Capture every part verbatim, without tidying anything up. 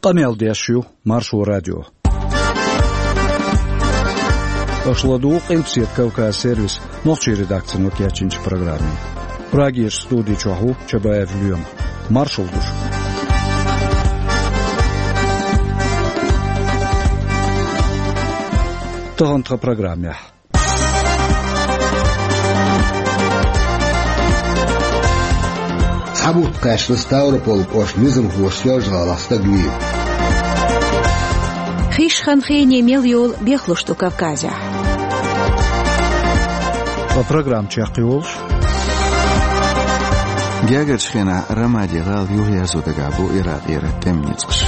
Къамел деш ю Маршо радио. Аша ладугӀу Къилбаседа Кавказ сервисан нохчийн редакцино кечйинчу программе. Прагерчу студи чохь ву Чабаев Лоьма. Маршалла ду шуьга. Тахана тхан программехь. Цхьа бутт кхаьчна Ставрополь кӀоштан низамхоша Соьлжа-ГӀалахь стаг вийна. Хиш хан хене мел йолу бехлуш ду Кавказехь. Ткъа программа чекхйолуш. Гергарчу хенахь Рамади гӀала юхаерзо дагахь бу Иракъера тӀеман ницкъаш.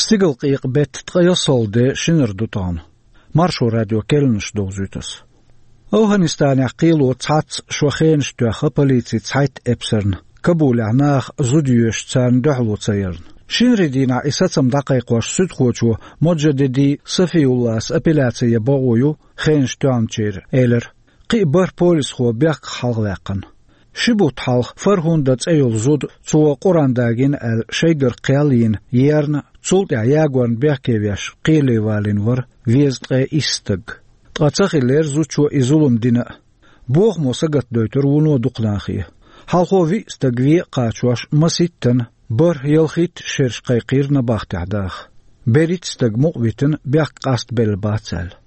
Стигалкъекъа беттан ткъе ялсалгӀа де шинара ду тахана. Маршо радион керланаш довзуьйту ас. АфгӀанистанехь кхело цхьацца шо хенаш тоьхна полицин цхьайтта эпсарна, Кабулехь наха зуда йоьшуш царна дуьхьало ца ярна. Шинарин дийнахь и сацам дӀакхайкхош суьдхочо Моджадеди Сафиуллас апелляци ян бакъо ю хенаш тоьхначеран, элира. Кхин а бархӀ полисхо бехках хьалхаваьккхина. Ши бутт хьалха Фархунда цӀе йолу зуда, цо Къуръан дагийна аьлла, шайгара кхел йина, ерна, цул тӀаьхьа ягорна бехке веш, кхеле валийна вара везткъе исс стаг. Ткъа ца хиллера зудчо и зулам дина а. Бохамо сагатдойтура вуно дукха нахе. Хьалхо виъ стаг вен а кхачош, маситтана, бархӀ-ялхитта шераш кхайкхийра набахтехь даха. БерхӀитта стаг мукъавитина, бехк къастабелла бац аьлла.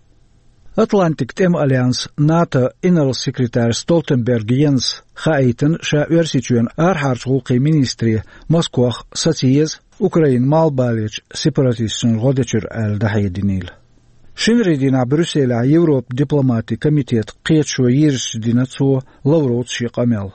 Атлантикан тӀеман альянс НАТО инарла секретарь Столтенберг Йенса хаийтина, ша Оьрсийчоьнан арахьарчу гӀуллакхийн министре Москох саца еза Украинан малхбалерчу сепаратисташна гӀо дечуьра аьлла дӀахьединийла. Шинарин дийнахь Брюсселехь Европан дипломатийн комитетан кхеташо йирзича дина цо Лавровца шен къамел.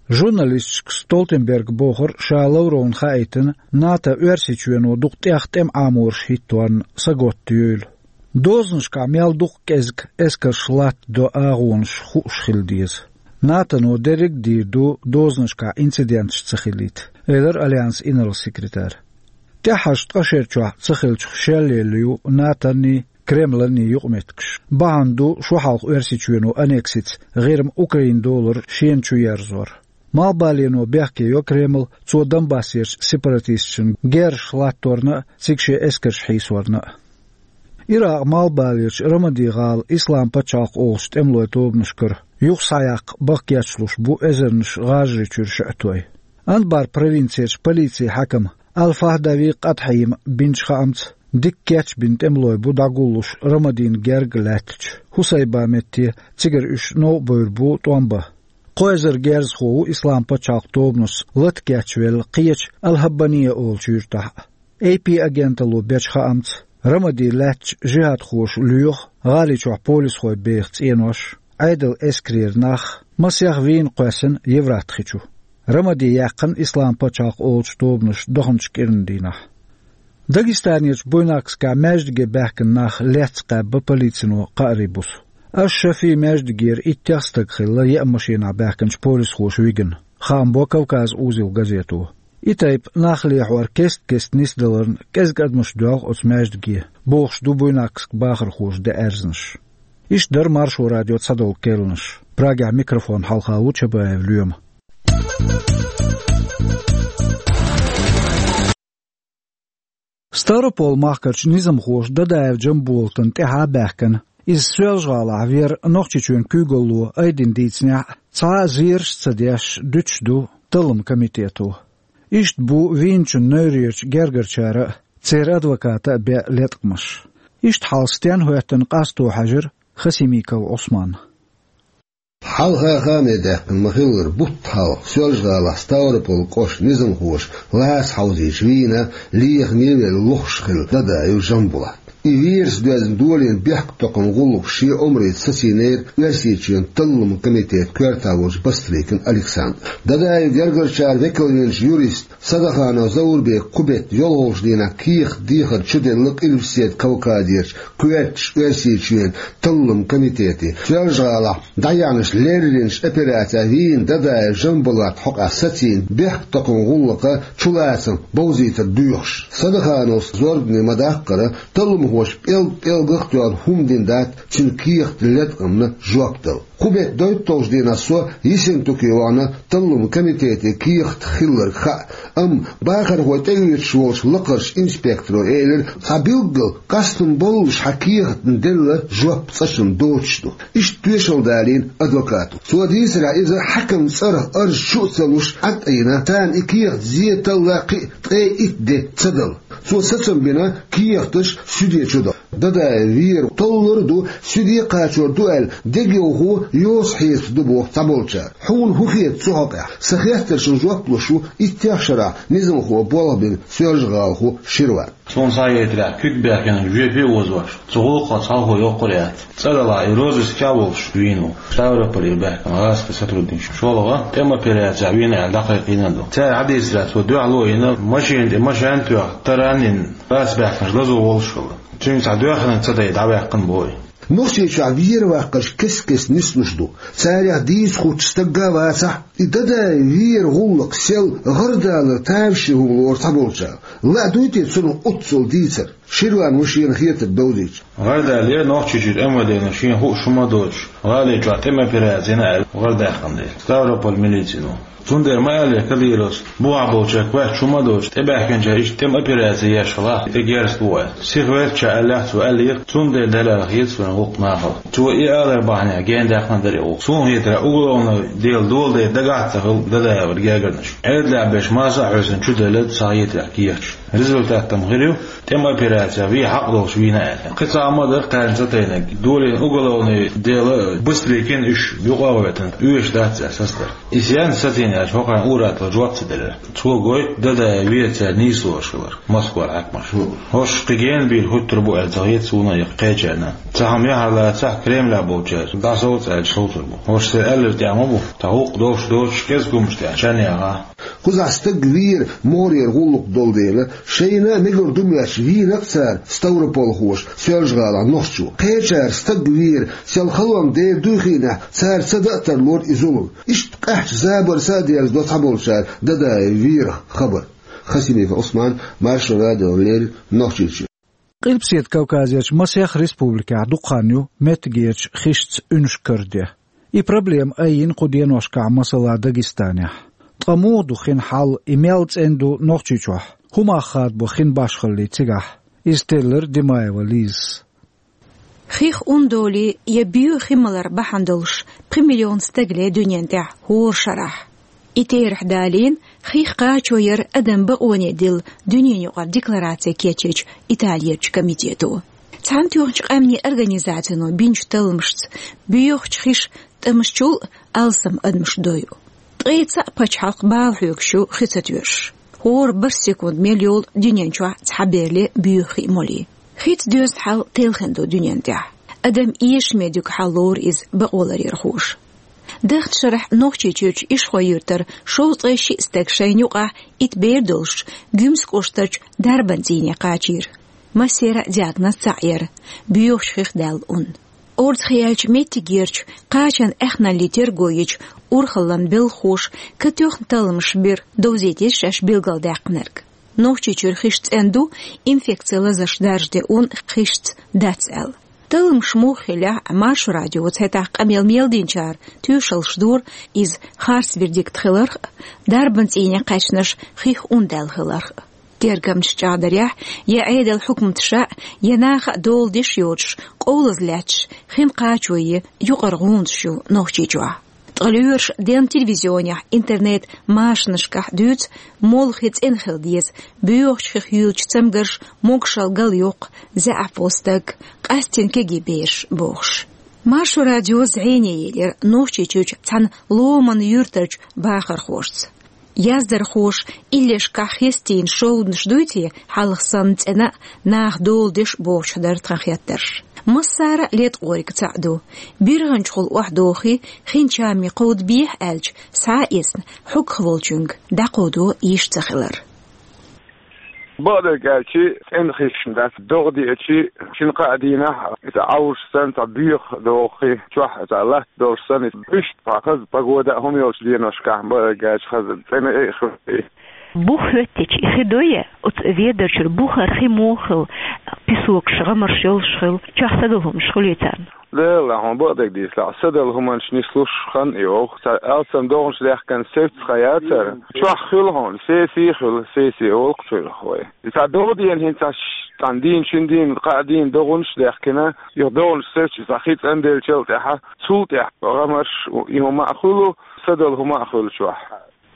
Журналисташка Столтенберга бохура, ша Лавровна хаийтина, НАТО Оьрсийчоьно дукха тӀех тӀеман Ӏамораш хӀитторна саготта йойла. Дозанашкахь мел дукха кӀезиг эскарш латтадо агӀонаш хууш хила деза. НАТОно дерриг а дийр ду дозанашкахь инциденташ ца хилийта, элира альянсан инарла секретарь. ТӀаьххьарчу ткъа шерачохь ца хиллачух шелъелла ю НАТОний, Кремланий юкъаметтигаш. Бахьана ду шо хьалха Оьрсийчоьно аннексица ГӀирма Украинан долара шена чу ерзор. Малхбалено бехке йо Кремль, цо Донбассерчу сепаратисташна герзаш латторна а, цига шен эскарш хьийсорна а. Иракъан малхбалерчу Рамади-гӀала Исламан пачхьалкх олучу тӀемалойн тобанашкара юха схьаяккха бехкаечлуш бу эзарнаш ГӀажарий чуьра шиъ а той. Анбар провинцерчу полицин хьаькам Аль-Фахдави Къатхьима бинчу хаамца, дика кечбина тӀемалой бу дӀагуллуш Рамадина герга лаьттачу Хусайба метте, цигара уьш новкъа бевр бу тӀом бан. Кхо эзар герзахо ву Исламан пачхьалкхан тобанашца лата кечвелла кхечу Аль-ХӀаббания олучу юьртахь а. Эй Пи агенталло бечу хаамца, Рамади лаьттачу жихӀадхоша лоьху гӀали чохь полисхой беха цӀенош, Ӏедалан эскарера нах, масех вийна кхоьссина Евфрат хи чу. Рамади яьккхина Исламан пачхьалкх олучу тобанаша даханчу кӀиран дийнахь. Дагестанерчу Буйнакскехь маьждиге баьхкина нах лецна кхаьбна полицино кхаарийн буса. Аш-Шафи маьждигера иттех стаг хилла еа машенахь баьхкинчу полисхоша вигна, хаам бо Кавказ узел газето. И тайпа нах лехьор кест-кеста нисдаларна кӀезиг адамаш доьлху оцу маьждиге, бохуш ду Буйнакскан бахархоша деана аьрзнаш. Иштта дара Маршо радион цхьадолу керланаш. Прагехь микрофон хьалха ву Чабаев Лоьма. Ставрополь-махкарчу низамхоша Дадаев Джамболатан тӀаьхьа баьхкина. Иза Соьлжа-ГӀалахь вера Нохчийчоьнан куьйгалло айдина дийцинехь а, цхьа а зераш а ца деш, дуьтуш ду талламан комитето. Иштта бу вийначун неврерчу гергарчара а, церан адвоката а беа леткъамаш. Иштта хьал стенна хӀоьттина къасто хьаьжира Хасимиков Ӏусманна. Хьалха хааме даьккхина ма-хиллара, бутт хьалха Соьлжа-ГӀалахь Ставрополь кӀоштан низамхоша лаца хьовзийча вийна лехаме а велла лохуш хилла Дадаев Джамбулат. И верас доьзна долийна бехктокхаман гӀуллакхаш шен омрица сацийнера Оьрсийчоьнан талламан комитетан коьрта волчу Бастрыкин Александра. Дадаевн гергарчара векалвинчу юриста Садаханов Заурбека кху бетта йолхалгӀачу дийнахь кехат дехар чуделла Къилбаседа Кавказерчу коьртачу Оьрсийчоьнан талламан комитете. Соьлжа-ГӀалахь дӀаяьхьначу лерринчу операцехь вийна Дадаев Жамбулат хьокъехь сацийна бехктакхаман гӀуллакхан чулацам бовзийтар доьхуш. Садахановс зорбане ма-даккхара, талламхоша пӀелг-пӀелгах а тоьхна хӀума дина дац цуьнан кехатан латкъамна жоп дала. Кху бетта дойтталгӀачу дийнахь со Ессентуке вахана талламан комитете кехат хилларг хаьа, амма бахархой тӀеоьцуш волчу лакхарчу инспекторо элира, цхьа билггал къастам боллуш хьан кехатна делла жоп цкъачунна доцуш ду. Иштта тоьшалла далийна адвокато. Цо дийцарехь, иза хьаькаман цӀарах арз чу а ца луш, Ӏад а йина, царна и кехат зен талла кхин а ткъе итт де ца дала. Цо сацам бина кехаташ суьде чу дала. Дадаев Вера толлур а ду, суьде кхачор ду аьлла, дегайовхо йоцу хьесапаш ду боху цхьаболчара. Хьуна хӀун хета цу хьокъехь? Сан хеттаршна жоп луш ву иттех шарахь низамхо болх бина соьлжагӀалахо Ширван. Суна схьахетарехь, куьг баьхкина жоьпе а озош, цу гӀуллакхах цхьалхо йоккхур яц. ЦӀа далахь, и розыскехь а волуш вийна ву. Ставрополе баьхкина гӀазкхийн сотрудникаш. ШолгӀа тӀеман операцехь вийна аьлла дӀакхайкхийна а ду. Цара хьадийцарехь, цо дуьхьало а йина, машина тӀе машен а тоьхна, таранна йина, лаца баьхкинчу лазо волуш хилла. Цуьнга цхьа доьхнарг ца дайта дӀаваьккхина боху. Нохчийчохь вер ваккхарш кест-кеста нислуш ду. Царех дийца хуттуш стаг а вацахь, и Дадаев Вера гӀуллакх сел гӀардалар тамашийна хӀума лору цхьаболчара. Лаа дуй те цунах оццул дийцар? Ширван ву шена хетарг довзийта. ГӀардаллера Нохчийчуьра МВД-но шена хууш хӀума а доцуш, гӀали чохь тӀеман операци йина аьлла гӀардаьккхина дела, Ставрополь милицино. Цундела ма аьллера Кадыровс, бухахь болчаьрга кхоьссуш хӀума а доцуш, тӀебаьхкинчара иштта тӀеман операци еш хилахь, тӀе герз бу аьлла. Сиха веллача аьллехь, цо аьллера, цундела далар хета вайн гӀуллакх нахала. Цо и алар бахьанехь гендаьккхина дара и гӀуллакх. Суна хетарехь, уголовный дела доладайта дагахь а ца хилла Дадаевра гергарнаш. Ӏедалехь берш масса а хьоьсина чуделла, схьахетарехь, кехаташ. Результат-м хир ю, тӀеман операцехь вен хьакъ долуш вийна аьлла. Кхин цхьа хӀума а дара кхарна ца тайнарг. Долийна уголовный дела быстрее кина уьш юкъа а гӀоьттина, оьшуш дац аьлла сацадара. И сенца сацийна аьлча, хӀокхарна ур-атталла жоп ца делира. Цо гойту Дадаев Вера церан нийса лоруш хилар Москвара хьаькамаша. ХӀорш кхин гена бийр хӀуттур бу аьлла ца хета суна а, кхечарна а. Цхьа хӀума яхьар лацахь, Кремлехь болчара дӀасовца аьлча совцур бу. ХӀорш церан аьлларг тӀехь ма бу, тхан гӀуллакх долуш доцуш кӀезиг хӀуманаш тӀехь чан яха. Кхузахь стаг Вера могӀарера гӀуллакх долу дела, шайна а мегар ду моьттуш вийна-кх цара, ставрополхоша, Соьлжа-ГӀалахь нохчо. Кхечара стаг Вера сел халонна дер дуй хиънехь, цара ца дан а тарлора и зулам. Иштта къаьхьачу забарца а дерзадо цхьаболчара Дадаев Верах хабар. Хасимиков Ӏусман, Маршо радиона леррина, Нохчийчоь. Къилбаседа Кавказерчу масех республикехь дукха хан ю меттигерчу хишца уьнаш караден. И проблема айина кху деношкахь, масала, Дагестанехь. Ткъа муха ду хин хьал, и мел цӀена ду Нохчийчохь? ХӀун мах хадабо хин башхаллин цигахь? Иза теллира Димаева Лизас. Хих ун долий я боьха хи малар бахьана долуш, пхи миллион стаг ле дуьнен тӀехь хӀора шарахь. И терахь далийна хих кхачо яр адаман бакъоне дилла дуьненан юкъара деклараци кечйинчу Италерчу комитето. Цхьаьнатоьхначу Къаьмнийн Организацино бинчу талламашца, боьхачу хиша тӀамаш чул а алсам адамаш дойу. Ткъе цхьаъ пачхьалкх бала хьоьгуш ю хи ца тоьшуш. ХӀора бархӀ секунд мел йолу дуьнен чохь цхьа бер ле боьха хи молий. Хица доьзна хьал телхина ду дуьнен тӀехь. Адам эшаме дуьгу хьал лору иза бакъоларъярхоша. Даханчу шарахь Нохчийчуьрчу Ишхой-Юьртара шовзткъе шиъ стаг шайна юкъахь итт бер долуш Гуьмсан кӀоштарчу дарбан цӀийне кхачийра. Массеран а диагноз цхьаъ яра: боьхачу хих даьлла ун. Орцахь яьллачу меттигерчу кхачан аьхналлин терго йича, урхаллан белхахоша катоьхна талламаш бира, довзийтира шаьш билгалдаьккхинарг. Нохчийчуьра хиш цӀена ду, инфекцин лазарш даржаде ун хишца дац аьлла. Талламаш муха хиллехь а, Маршо радиоца хӀетахь къамел мел динчара тоьшаллаш дора, иза харц вердикт хиларх а, дарбан цӀийне кхаьчнарш хих ун даьлла хиларх а. Тергамчаша чӀагӀдарехь, я Ӏедалан хьукматаша а, я наха а дола деш йоцуш, къовлаза лаьтташ хин кхачо ян юкъара гӀундаш ю Нохчийчохь. Ткъа лоьраша денна телевизионехь, интернет-машанашкахь дуьйцу молла хи цӀена хила деза, боьхачу хих юьйлучу цамгарша могушалла галйоккху, заьӀап волу стаг, къаьсттина кегий бераш бохуш. Маршо радио зӀене елира Нохчийчуьрчу цхьана ломанан юьртарчу бахархошца. Яздархоша иллешкахь хестийна шовданаш дуй те, хьалха санна цӀена а, наха дола деш а бохучух дара тхан хеттарш. Массара а леткъориг цхьаъ ду. БиргӀанчухула охьадохий, хин чамий кховдабехьа аьлча, схьа а эцна, хьогах волчуьнга дӀакховдо йиш ца хилар. Бакъдерг аьлча, цӀена хиш дац, догӀа деача, шин-кхаа дийнахь, иза Ӏовжаш санна, цхьа боьха догӀий, чохь цхьа латта долуш санна, иза иштта хаза погода а хӀума йолчу деношкахь, бакъдерг аьлча, хаза цӀена а хир. Бух хӀоьттича, и хи дуй, оцу Ведарчуьра бухара хи муха хилла, песокаш, гӀамарш йолуш хилла, чохь садала хӀуманаш хуьлий царна? Делла хьуна бакъдерг дийцахь, садала хӀуманаш нислуш хан и вовх. Цхьа алсам догӀанаш даьхкина севцхьа яцара. Чохь хуьлу хьуна, сесий хуьлу, сесий олу-кх цуьнах вай. И цхьа догӀа дийна хӀинца аш, цхьана дийна, шина дийна, кхаа дийна догӀанаш даьхкина, юха догӀанаш севцча, цхьа хи цӀанделлачул тӀаьхьа, цул тӀаьхьа гӀамарш и хӀума а хуьлу, садала хӀума а хуьлу чохь.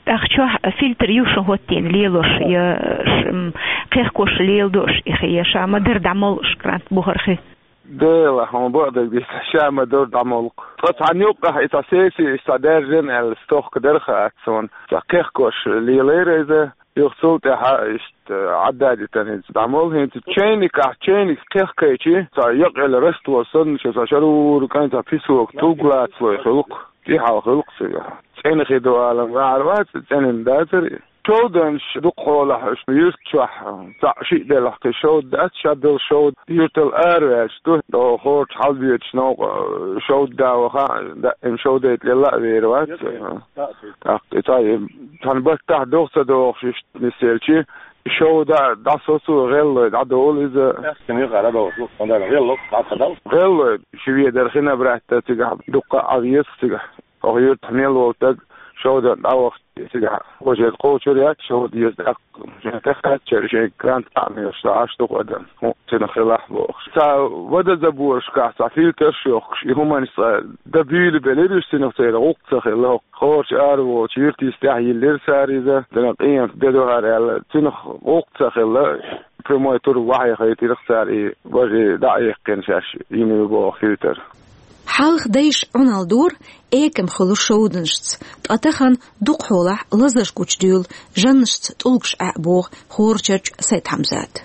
ТӀаккха чохь фильтр ю шун хӀоттийна лелош, я ш-, м, кхехкош леладо аш и хи, я ша ма-дарра дӀамолу аш крант бухара хи? Делла хьуна бакъдерг дийцахь, ша ма-дарра дӀамолу-кх. Ткъа цхьана юккъехь и цхьа сеси, и цхьа даьржина аьлла, стохка дара хаа суна. Цхьа кхехкош лелайра иза, юха цул тӀаьхьа иштта Ӏадда а дитина иза дӀамолу. ХӀинца чайникехь, чайник кхехкайчи, цхьа якъаелла раствор санна, ша цхьа шарура кӀайн цхьа песок тулг лацалой хуьлу-кх. ТӀехьал хуьлу-кх цигахь. ЦӀена хи ду алам вахьар вац, цӀена дацара. Шовданаш дукха хьолахь уьш юьрта чохь, цхьаъ-шиъ делахь кхин шовда дац, шадолу шовда юьртал араваьлча ду, догӀу хорчу хьалабоьдуш новкъа шовда да ваха, даим шовдайта лелла а вер вац. ТӀаккха и цхьа, цхьана баттахь догӀа ца догӀуш иштта нисъелчи, шовда дӀасоцу гӀеллой дӀадолу иза. Аьхкина юкъара догӀуш ду, хӀунда аьлча гӀелло дӀа ца дала. ГӀеллой, ши ведар хи набратта цигахь дуккха а Ӏа веза цигахь. Оха юьртахь мел волу стаг шовдан дӀавахча, цигахь важа кхочур яц, шовда еза тӀаккха. Шен тӀекхаччара шайн крант къамелаш дӀаш ду-кх адам, хӀун цуьнан хилахь бохуш. Цхьа водозаборашкахь цхьа фильтраш йохкуш, и хӀуманаш цкъа дан буьйлабелира уьш, цуьнах церан гӀуллакх ца хилла. Хорчу араволчу юьртийн стехь йиллира цара иза, цуьнан къемат де ду хӀара аьлла, цуьнах гӀуллакх ца хилла, прямой тур вахье хайтира-кх цара и важа дӀа а яьккхина шаьш йина ю боху фильтр. Хьалха дайша Ӏуналла дора, экам хуьлу шовданашца, ткъа тахана дукха хьолахь лазарш гучудуьйлу жаннашца тӀулгаш Ӏа а боху Хорачарчу Сайд-Хьамзата.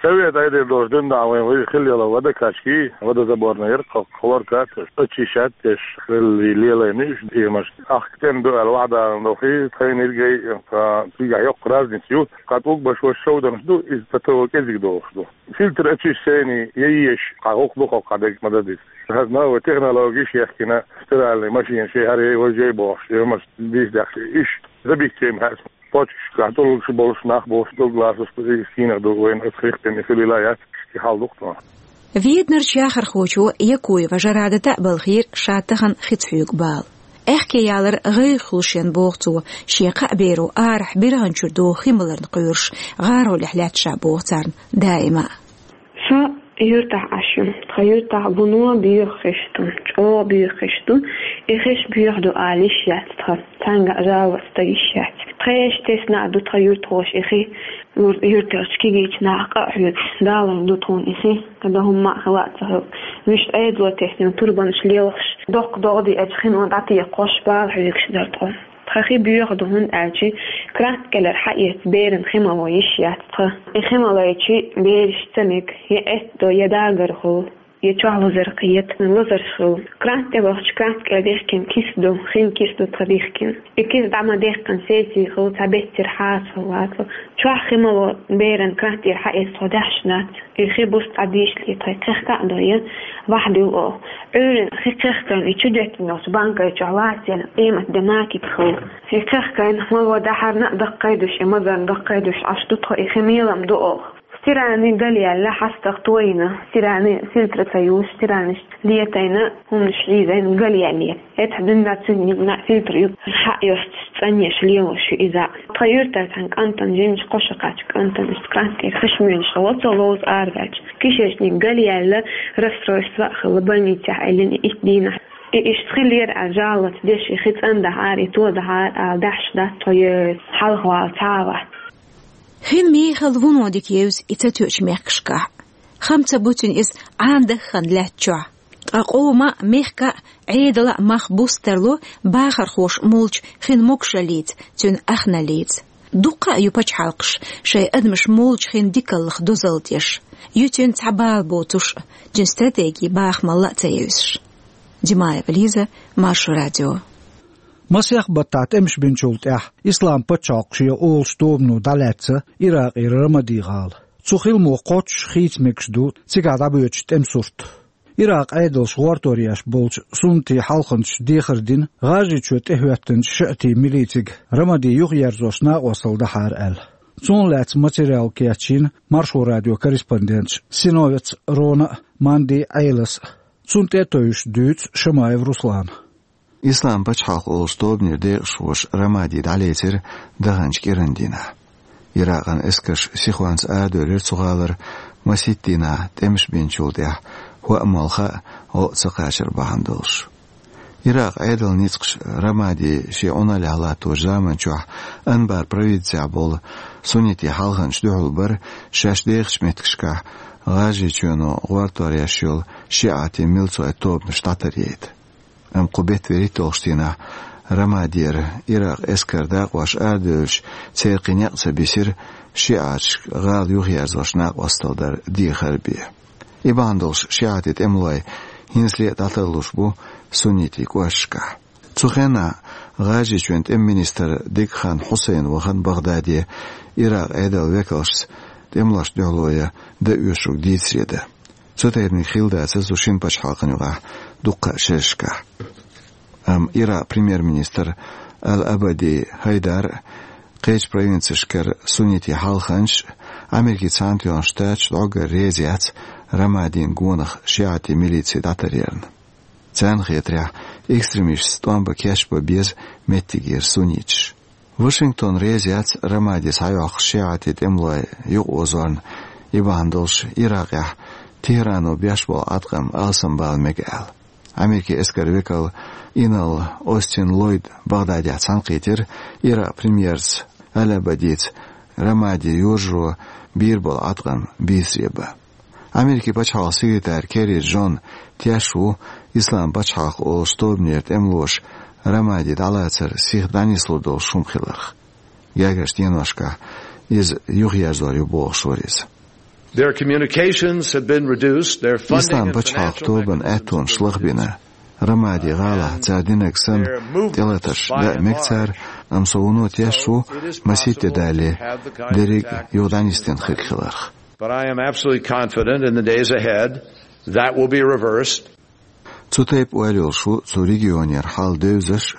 Совет Ӏедал долуш дуьнна вайн вуй хилла йолу водокачки, водозаборный яра-кх хлоркат, очищать деш, хилли лелайна уьш демаш. Ахка тӀена ду аьлла вахьа далан дохий, тхайна иргай, ткъа цигахь йоккха разница ю, кхин тӀулг баш ваша шовданаш ду, иза ца того кӀезиг дохуш ду. Фильтр очищение я еш, кхин гӀуллакх ду хӀокху дерг ма дан деза. ХӀара новый технологиш яхкина, стиральный машина шен хӀара важа бохуш, ямаш дийс дехча, иштта забитчем хьаьс, почкашкахь тӀулгаш болуш нах болуш, тӀулг лацош, и стийнах ду вайна аса хих тӀе и хилийла яц, и хьал ду-кх тхуна. Веданарчу яхархочо Якуева Жарадата а балхийра ша тахана хица хьоьгу бала. Аьхке ялар гӀайгӀа хуьлу шен, боху цо, шен кхаа беро арахь биргӀанчуьра догӀу хи маларна кхоьруш, гӀаролехь лаьтта ша, боху царна даима а. Со юьртахь Ӏаш ю. Тхан юьртахь вуно боьха хиш ду, чӀогӀа боьха хиш ду. И хиш боьха ду ала йиш яц тхан, цхьаьнгга а жалоба дан йиш яц. Тхешан тесна а ду тхан юьртахоша и хи, юр-, юьртарчу кегийчу наха къа а хьоьгуш, далийна ду тхуна и хи, кхидӀа хӀумма а хила а ца хилла. Вуьшта Ӏедало теснина турбанаш лелхаш, доккха догӀа деача хино дӀатекхош, бала хьоьгуш дара тхо. Тхан хи боьха ду, хӀунда аьлча крант кӀелара хьаэцна берана хи мало йиш яц тхан. И хи ма лайча, бераш ца мега, я эттадо, я дагар хуьлу, я чохь лазар кхета, лазарш хуьлу. Крант тӀе вахча, крант кӀел дихкина киса ду, хин киса ду тхан дихкина. И киса дӀа ма дехкина, сесий хуьлу, цхьа беттера хьаса хуьлу, вацал. Чохь хи мало берана крант тӀера хьаэцна тхо даьхьаш дац. И хи буса цкъа дийшале, тхайн кхехка а дой, вахьа дуьллу оха. Ӏуьйранна хи кхехкайна, и чу деттина йолчу банкай чохь лаца елла къемат де накипа хуьлу. И кхехкайна, мало дахьарна а даккхийдуш, и мазарна даккхийдуш Ӏаш ду тхо, и хи мелам ду оха. Стиральный галъяьлла, хьастагӀа тойина, стиральный фильтр ца юлуш, стиральный летайна, хӀуманаш хьийзайна, галъяьлла. Эцхьа дуьнна цуьнан фильтр ю, хьаъ йоцуш, цӀанъеш лелош ю иза. Тхан юьртара цхьана кӀантана, жимачу кхо шо кхаьчча кӀантана, иштта крант тӀера хиш моьлуш хилла, цо ловза араваьлча. Кишечник галъяьлла, расстройство а хилла, больницехь Ӏиллина и итт дийнахь. И иштта хилира аьлла, жалоба деш, и хи цӀандахьара, и тодахьара ала даьхьаш дац тхо, е хьалхавала ца вац. Хин мехала вуно дика евза и ца тоьучу мехкашкахь. Хам ца буьтуьйту иза Ӏан дахана лаьтта чохь. Ткъа къоман а, мехкан а, Ӏедалан а мах буса тарло бахархоша молчу хин могушаллица, цуьнан ахналлица. Дуккха а ю пачхьалкхаш шайн адамаш молча хин дикаллах дозалла деш. Ю цуьнан цхьа бала боцуш а, цуьнан стратеги бахамалла а ца евзаш. Димаева Лиза, Маршо радио. Масех баттахь тӀемаш бинчул тӀаьхьа Ислам пачхьалкх шен олуш тобано дӀалаьцна Иракъера Рамади гӀала. Цу хиламо кхоччуш хийца мегаш ду цигахь дӀабоьдучу тӀеман сурт. Иракъ Ӏедалша гӀортор еш болчу суннатийн хьалханчаша дехар дина, ГӀажарийчоь тӀехӀоьттинчу шиӀатийн милицига Рамади юхаерзош накъосталла дахьара аьлла. Цунах лаьцна материал кечйина Маршо радион корреспонденташа Синовец Рона а, Манди Ӏелас а. Цунна тӀе а тевжаш дуьйцу Шамаев Руслана. Ислам пачхьалкх олуш тобанера декъашхоша Рамади дӀалецира даханчу кӀиран дийнахь. Иракъан эскарш сихонца арадевлира цу гӀалара, масийтта дийнахь тӀемаш бинчул тӀаьхьа хӀоъ-молха а гӀо а ца кхачар бахьана долуш. Иракъ Ӏедалан ницкъаша Рамади шен Ӏуналлехь латточу заман чохь Анбар провинцехь болу суннитийн хьалханчаша дуьхьал бара шаьш дехачу меттигашкахь ГӀажарийчоьно гӀортор еш йолу шиӀатийн милцойн тобанаш дӀатаръяйта. Амма кху беттан вуьрхӀитталгӀачу дийнахь Рамадера Иракъ эскаран дакъош арадевлча, церан кхин некъ ца бисира шиӀаташка гӀала юхаерзош накъосталла дар дехар бен. И бахьана долуш шиӀатийн тӀемалой хӀинцале а дӀатарлуш бу суннитийн кӀошташкахь. Цу хенахь ГӀажарийчоьнан тӀеман министр Дикхан Хьусайн вахана Багдаде Иракъ Ӏедалан векалшца тӀемалошна дуьхьало ян дан оьшург дийцаре дан. Цу тайпаниг хилла дацара цу шина пачхьалкхан юкъахь дуккха а шерашкахь. Амма Иракъ премьер-министр Ал-Абади Хайдар а, кхечу провинцешкара суннитийн хьалханчаш а, Америкин Цхьаьнатоьхна Штаташ а дӀоггара реза яц Рамадин гонах шиӀатийн милици дӀатаръярна. Царна хетарехь, экстремисташца тӀом бан кечбан беза меттигера сунниташ. Вашингтон реза яц Рамади схьайоккхуш шиӀатийн тӀемалой юкъаозорна, и бахьана долуш Иракъехь Техрано беш болу Ӏаткъам алсамбала мега аьлла. Америкин эскаран векал инарла Остин Ллойд Багъдадехь цхьаьнакхийтира Иракъ премьерца Ал-Абадица Рамади йожаро бийр болу Ӏаткъам бийцаре бан. Америкин пачхьалкхан секретарь Керри Джон теш ву Ислам пачхьалкх олуш тобанера тӀемалоша Рамади дӀалацар сиха дӀанислур долуш хӀума хиларх. Гергарчу деношкахь иза юхаерзор ю бохуш вара иза. Their communications have been reduced, their funding Ислам and пачхьалкх financial тобанан mechanisms аьттонаш лахбина. Рамади гӀалахь цара динарг санна тӀелатарш дан а мега цара, амма со вуно теш ву масийтта дале дерриг а юха дӀанисдина хирг хиларх. But I am absolutely confident in the days ahead that will be reversed. Цу тайпа ойла йолуш ву цу регионера хьал девзаш а,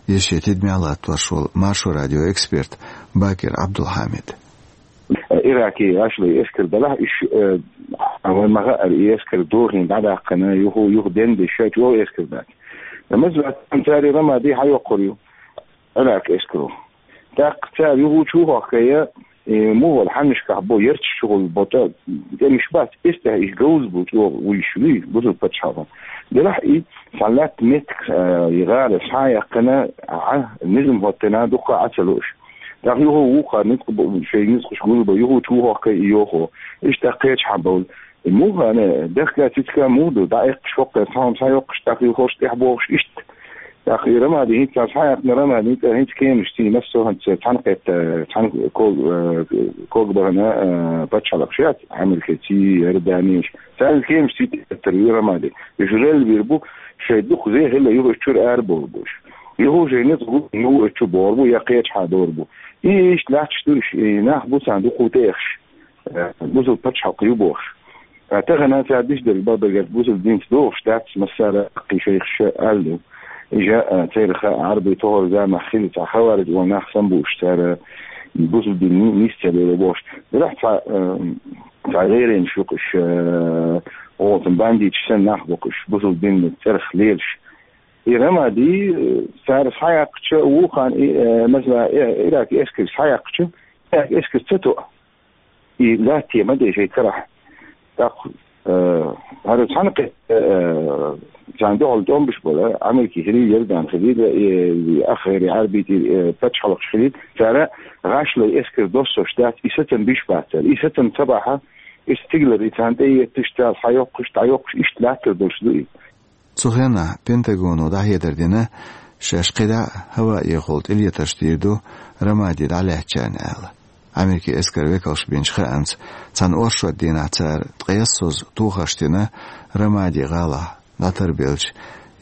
иза шен тидамехь латтош волу Маршо радион эксперт Бакир Абдулхамид. Иракийн гӀашлой эскар далахь, уьш, э, вайн ма хаара, и эскар дохийна дӀадаьккхина, юха, юха денна деш шайн чӀогӀа эскар дац. Амма цара Рамади хьайоккхур ю Иракан эскаро. ТӀаккха цара юха чу хӀоккхуш, и муха волу хьаннашкахь бо ярташ чухула бо тӀе-, тӀемаш бац, эццахь иштта говза бу чӀогӀа вуьйш вуй, бусулба пачхьалкхана. Делахь и цхьа лаьтта меттиг, э, и гӀала схьа а яьккхина, Ӏа, низам хӀоттийна, дуккха а Ӏа ца лууш. ТӀаккха юха вукхара ницкъ бу-, шайн ницкъаш гулбан, юха чу хӀоккхуш и йохо. Иштта кхечахьа бовла. И муха, ана, дехка цицка муха ду, дӀаэккхаш хӀоккхуш, цхьа хӀума схьайоккхуш, тӀаккха юхалуш тӀехь бохуш иштта. ТӀаккха и Рамади хӀинца схьаяьккхина, Рамади хӀинца, хӀинца кеманаш ций массо а хӀинца цхьаьнакхетта, цхьаьна ког, э, ког бахана, э, пачхьалкхаш яц, Америкаций, Иорданеш. Царна кеманаш ций тӀе теттар ю Рамади. Уьш релла бийр бу, шайн дукха зе хилла юха уьш чуьра арабовла бу уьш. Юха шайн ницкъ гу, юха уьш чу богӀур бу, я кхечахьа довр бу. И иштта латташ ду уьш, и нах бу царна дукха тӀеэхаш, э, бусулба пачхьалкх ю бохуш. Ткъа тахана цара диш дерг бакъдерг аьлча, бусулба динца догӀуш дац, массара а кхин шайх ша аьлла ду. Иштта, а, церан ха Ӏарбий тохара заманахь хилла цхьа хавариж волу нах санна бу уьш, цара бусулба дин ни-, нисца лело бохуш. Делахь цхьа, а, цхьа гӀайренаш ю-кх уьш, а, оцу бандиташ санна нах бу-кх уьш, бусулба динан цӀерах лелаш. И Рамади, а, цара схьаяьккхича, вукхана и, а, масала, и, Иракан эскарш схьаяьккхича, Иракан эскар ца тоъу. И латте ма де шайн карахь. ТӀаккха, э, хӀара цхьаьнакхетта, э, царна дуьхьал тӀом беш болу, Америка хилийла, Иордан хилийла, э, ах гӀайре Ӏарбий, э, пачхьалкхаш хилийла, цара гӀашлой эскар доссош дац, и сацам беш бац цара. И сацам ца бахьа, и стигалара и царна тӀеэтташ, цара схьайоккхуш, дӀайоккхуш, иштта латтар долуш ду и. Цу хенахь Пентагоно дӀахьедар дина, Шаьш кхидӀа а хӀаваэхула тӀелетарш дийр ду Рамади дӀалаьцначарна аьлла. Америкин эскаран векалша бинчу хаамца, цхьана оршот дийнахь цара ткъе исс созза тохарш дина Рамади гӀалахь дӀатарбеллачу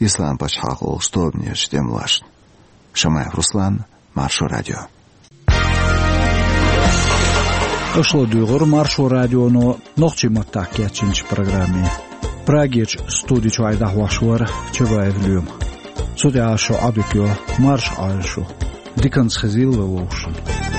Ислам-пачхьалкх олучу тобанерчу тӀемалошна. Шамаев Руслан, Маршо радио. Аша ладуьйгӀира Маршо радионо нохчийн маттахь кечйинчу программе. Прагерчу студи чуьра дӀахьош вара Чабаев Лоьма. Цу тӀехь шун Ӏадика йо, марша Ӏойла шу. Диканца хезийла вай вовшашна.